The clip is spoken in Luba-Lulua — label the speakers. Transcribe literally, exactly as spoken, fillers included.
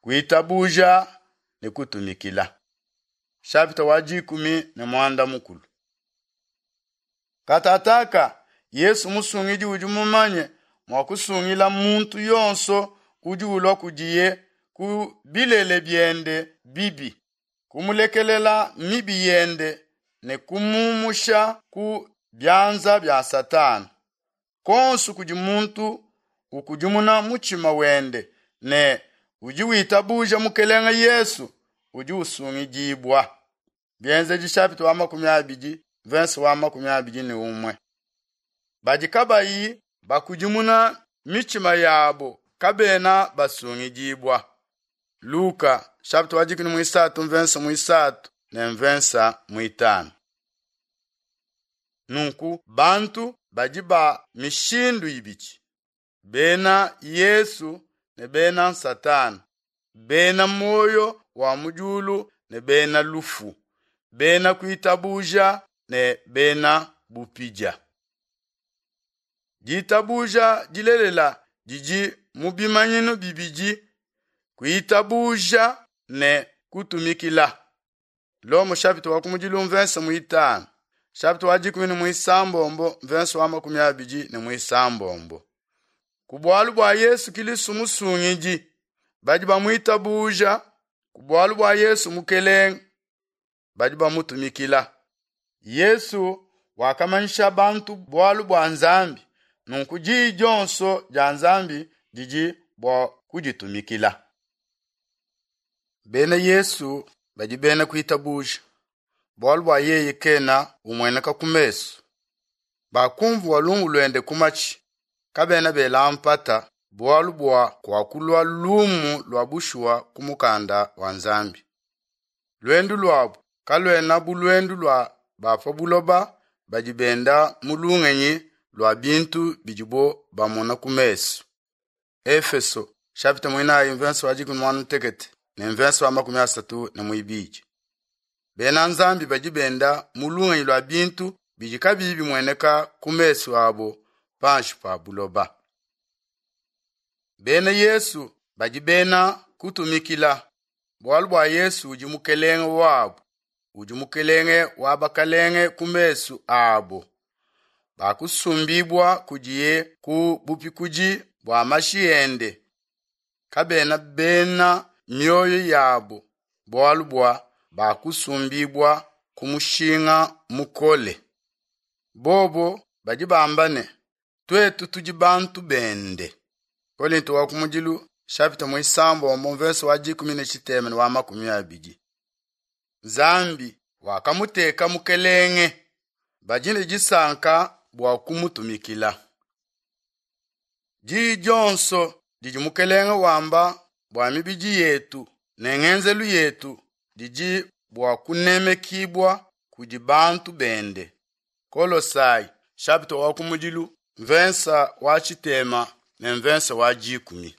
Speaker 1: Kuitabuja ne kutumikila. Chapitre wa dikumi ne mwanda mukulu. Katataka Yesu musungidi udi mumanye mua kusungila muntu yonso udi ulua kudiye ku bilele biende bibi, kumulekelela mibi yende ne kumumusha ku bianza bia Satana. Konsu kudi muntu ukudimuna mutshima wende ne udi witabuja mukelenge Yesu udi usungidibua. Bienzedi chapitre wa makumi abidi verse wa makumi abidi ne umwe. Badi kabayi bakudimuna mitshima yabo kabena basungidibua. Luka chapitre wa dikumi muisatu verse muisatu ne verse muitanu. Nunku bantu badi ba mishindu ibidi bena Yesu ne bena Satana, bena moyo wa mujulu ne bena lufu, bena kuitabuja ne bena bupidia. Ditabuja dilelela didi mu bimanyinu bibidi kuitabuja ne kutumikila. Lomo chapitre wa kumudilu verse muitanu chapitre wa dikumi ne muisambombo verse wa makumi abidi ne muisambombo. Ku bualu bua Yesu Kristo musungidi badi bamuitabuja, ku bualu bua Yesu mukelenge badi bamutumikila. Yesu wakamanyisha bantu bualu bua Nzambi, nunku diyi dionso dia Nzambi didi bua kuditumikila. Bena Yesu badi bena kuitabuja, bualu bua yeye kena umueneka ku mesu. Bakumvua lumu luende ku matshi, kabena bela mpata bualu bua kuakulua lumu lua bushuwa ku mukanda wa Nzambi. Luendu luabu kaluena bu luendu lua ba pa buloba badi benda mu lungenyi lua bintu bidibo bamona ku mesu. Efeso chapitre muinayi verse wa dikumi muanda mutekete ne verse wa makumi asatu ne muibidi. Bena Nzambi badi benda mu lungenyi lua bintu bidi kabiyi bimueneka ku mesu abo panshi pa buloba. Bena Yesu badi bena kutumikila, bualu bua Yesu udi mukelenge wabo, udi mukelenge wa bakalenge ku mesu abo. Bakusumbibwa kudiye ku bupikudi bua mashi ende, kabena bena mioyo yabo, bualu bua bakusumbibwa ku mushinga mukole. Bobo badi bamba ne tuetu tudi bantu bende. Kolinto wa kumudilu chapitre muisambombo verse wa dikumi ne tshitema ne wa makumi abidi. Nzambi wakamuteka mukelenge, badi ne disanka bua kumutumikila. Diyi dionso didi mukelenge wamba bua mibidi yetu ne ngenzelu yetu didi bua kunemekibwa kudi bantu bende. Kolosai chapitre wa kumudilu verse wa tshitema ne verse wa dikumi.